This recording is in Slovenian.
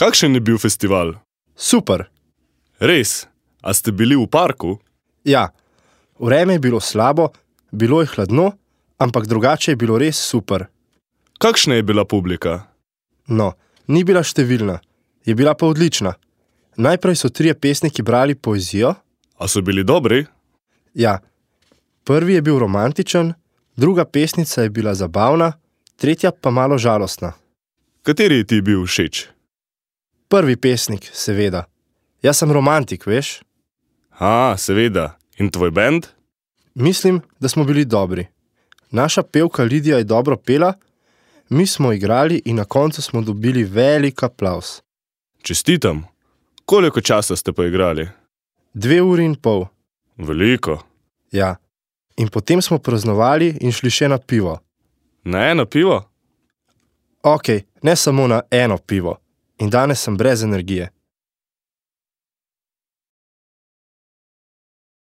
Kakšen je bil festival? Super. Res? A ste bili v parku? Ja, vreme je bilo slabo, bilo je hladno, ampak drugače je bilo res super. Kakšna je bila publika? No, ni bila številna, je bila pa odlična. Najprej so 3 pesniki brali poezijo. A so bili dobri? Ja, prvi je bil romantičen, druga pesnica je bila zabavna, tretja pa malo žalostna. Kateri ti je bil všeč? Prvi pesnik, seveda. Jaz sem romantik, veš? Seveda. In tvoj bend? Mislim, da smo bili dobri. Naša pevka Lidija je dobro pela, mi smo igrali in na koncu smo dobili velik aplavz. Čestitam. Koliko časa ste pa igrali? 2 uri in pol. Veliko. Ja. In potem smo praznovali in šli še na pivo. Na eno pivo? Okej, ne samo na eno pivo. In danes sem brez energije.